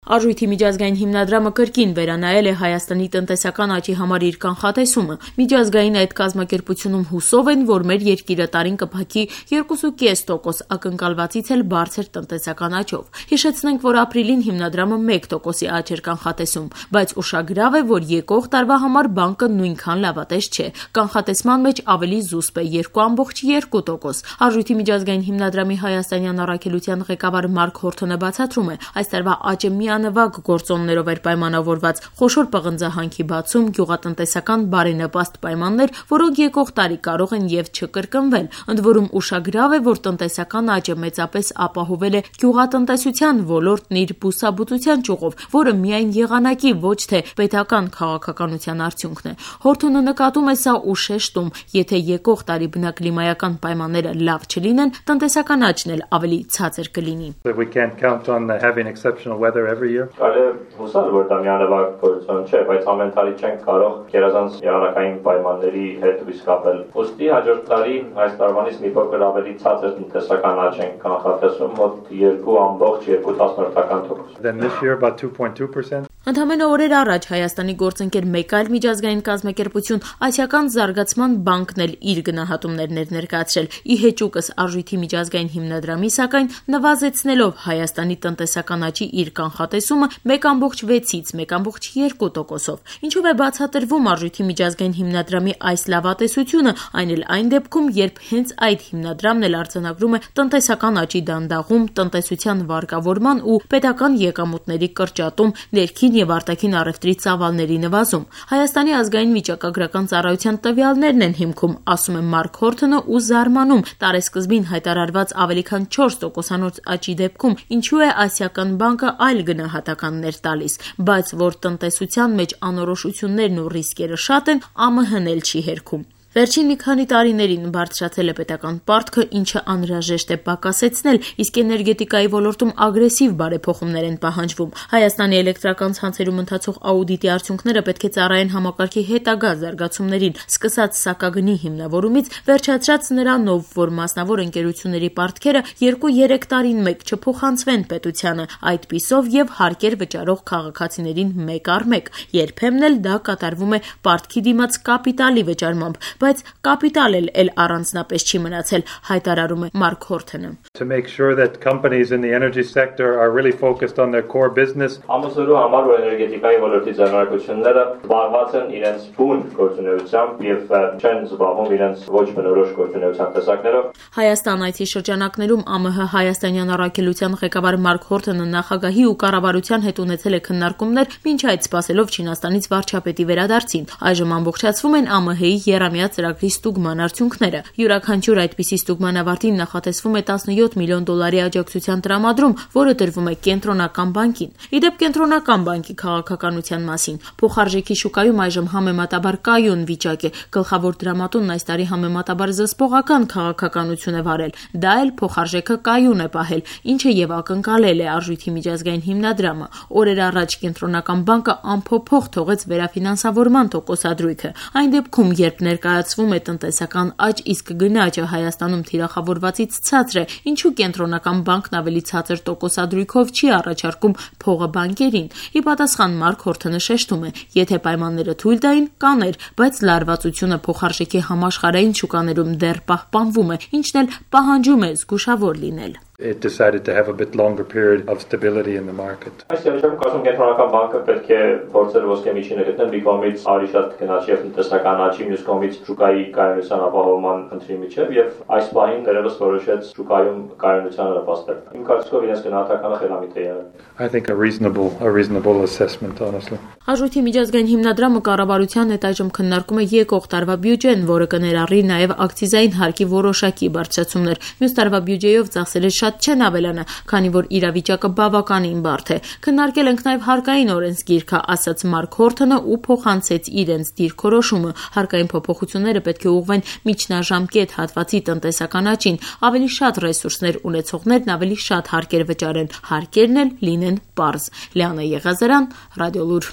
Արժույթի միջազգային հիմնադրամը կրկին վերանայել է Հայաստանի տնտեսական աճի համար իր կանխատեսումը։ Միջազգային այդ կազմակերպությունում հուսով են, որ մեր երկիրը տարին կփակի 2.5% ակնկալվածից էլ բարձր տնտեսական աճով։ Հիշեցնենք, որ ապրիլին հիմնադրամը 1%-ի աճ էր կանխատեսում, բայց ուշագրավ է, որ եկող տարվա համար բանկը նույնքան լավատես չէ։ Կանխատեսման մեջ ավելի զուսպ է 2.2%։ Արժույթի միջազգային հիմնադրամի հայաստանյան առաքելության ղեկավար Մարկ Հորթոնը բացատրում է, այս տարվա աճը միանվագ գործոններով էր պայմանավորված՝ խոշոր պղնձահանքի բացում, գյուղատնտեսական բարենպաստ պայմաններ, որոնք եկող տարի կարող են եւ չկրկնվել։ Ընդ որում ուշագրավ է, որ տնտեսական աճը մեծապես ապահովել է գյուղատնտեսության ոլորտն իր բուսաբուծության ճյուղով, որը միայն եղանակի, ոչ թե պետական քաղաքականության արդյունքն է։ Հորթոնը նկատում է սա ու շեշտում, եթե եկող տարի բնակլիմայական պայմանները լավ չլինեն, տնտեսական աճն էլ ավելի ցածր կլինի։ Կարելի է հուսալ, որ դա միանվագ գործոն չէ, բայց ամեն տարի չենք կարող գերազանց եղանակային պայմանների հետ հույս կապել։ Ուստի հաջորդ տարի այս տարվանից մի փոքր ավելի ցածր տնտեսական աճ ենք կանխատեսում, մոտ 2.2%։ Then this year about 2.2%. Ընդամենը օրեր առաջ Հայաստանի գործընկեր մեկ այլ միջազգային կազմակերպություն Ասիական զարգացման բանկն էլ իր գնահատումներն էր ներկայացրել։ Ի հեճուկս Արժույթի միջազգային հիմնադրամի, սակայն նվազեցնելով Հայաստանի տնտեսական աճի իր կանխատեսումը 1.6-ից 1.2%-ով։ Ինչով է բացատրվում Արժույթի միջազգային հիմնադրամի այս լավատեսությունը, այն էլ այն դեպքում, երբ հենց այդ հիմնադրամն էլ արձանագրում է տնտեսական աճի դանդաղում, տնտեսության վարկավորման ու պետական եկամուտների կրճատում, ներքին եւ արտաքին առևտրի ծավալների նվազում։ Հայաստանի ազգային վիճակագրական ծառայության տվյալներն են հիմքում, ասում է Մարկ Հորթոնը ու զարմանում տարեսկզբին հայտարարված ավելի քան 4%-անոց աճի դեպքում, ինչու է Ասիական բանկը այլ գնահատականներ տալիս, բայց որ տնտեսության մեջ անորոշություններն ու ռիսկերը շատ են, ԱՄՀ-ն էլ չի հերքում։ Վերջին մի քանի տարիներին բարձրացել է պետական պարտքը, ինչը անհրաժեշտ է պակասեցնել, իսկ էներգետիկայի ոլորտում ագրեսիվ բարեփոխումներ են պահանջվում։ Հայաստանի էլեկտրական ցանցերում ընթացող աուդիտի արդյունքները պետք է ծառայեն համակարգի հետագա զարգացումներին, սկսած սակագնի հիմնավորումից, վերջացրած նրանով, որ մասնավոր ընկերությունների պարտքերը 2-3 տարին մեկ չփոխանցվեն պետությանը, այդպիսով եւ հարկեր վճարող քաղաքացիներին մեկ առ մեկ։ Երբեմն էլ դա կատարվում է պարտքի դիմաց կապիտալի վճարմամբ, բայց կապիտալն էլ առանձնապես չի մնացել, հայտարարում է Մարկ Հորթոնը։ To make sure that companies in the energy sector are really focused on their core business. Ամուսնու համար որ էներգետիկայի ոլորտի ձեռնարկությունները զբաղված են իրենց բուն գործունեությամբ եւ չեն զբաղվում իրենց ոչ բնորոշ գործունեության տեսակներով։ Հայաստան այցի շրջանակներում ԱՄՀ հայաստանյան առաքելության ղեկավար Մարկ Հորթոնը նախագահի ու կառավարության հետ ունեցել է քննարկումներ, մինչ այդ սպասելով Չինաստանից վարչապետի վերադարձին։ Այժմ ամբողջացվում են ԱՄՀ-ի եռամյա ծրագրի ստուգման արդյունքները։ Յուրաքանչյուր այդպիսի ստուգման ավարտին նախատեսվում է $17 միլիոն աջակցության տրամադրում, որը տրվում է Կենտրոնական բանկին։ Իդեպ Կենտրոնական բանկի քաղաքականության մասին փոխարժեքի շուկայում այժմ համեմատաբար կայուն վիճակ է։ Գլխավոր դրամատունն այս տարի համեմատաբար զսպողական քաղաքականություն է վարել։ Դա էլ փոխարժեքը կայուն է պահել, ինչը եւ ակնկալել է Արժույթի միջազգային հիմնադրամը։ Օրեր առաջ Կենտրոնական բանկը անփոփոխ թողեց վերաֆինանսավորման տոկոսադրույքը։ Այն դեպքում, երբ ներկայացվում է տնտեսական աճ, իսկ գնաճը Հայաստանում թիրախավորվածից ցածր է, ինչու Կենտրոնական բանկն ավելի ցածր տոկոսադրույքով չի առաջարկում փողը բանկերին։ Ի պատասխան Մարկ Հորթոնը շեշտում է, եթե պայմանները թույլ տային, կաներ, բայց լարվածությունը փոխարժեքի համաշխարհային շուկաներում դեռ պահպանվում է, ինչն էլ պահանջում է զգուշավոր լինել։ It decided to have a bit longer period of stability in the market. Այս երբեմն կարծում Կենտրոնական բանկը պետք է փորձել ոսկե միջինը գտնել մի կողմից ավելի շատ գնաճի եւ տնտեսական աճի, մյուս կողմից շուկայի կայունության ապահովման խնդրի միջեւ եւ այս պահին դերևս որոշեց շուկայում կայունությանը նպաստել։ Իմ կարծիքով իրենց գնահատականը խելամիտ է եղել։ I think a reasonable assessment, honestly. Արժույթի միջազգային հիմնադրամը կառավարության հետ այժմ քննարկում է եկող տարվա բյուջեն, որը կներառի նաեւ ակցիզային հարկի որոշակի բարձրացումներ։ Մյուս տարվա բյուջեով ծախսերը շատ չեն ավելանա, քանի որ իրավիճակը բավականին բարդ է։ Քննարկել ենք նաև հարկային օրենսգիրքը, ասաց Մարկ Հորթոնը ու փոխանցեց իրենց դիրքորոշումը։ Հարկային փոփոխությունները պետք է ուղղվեն միջնաժամկետ հատվածի տնտեսական աճին, ավելի շատ ռեսուրսներ ունեցողներն ավելի շատ հարկեր վճարեն, հարկերն էլ լինեն պարզ։ Լիանա Եղազարյան, Ռադիոլուր։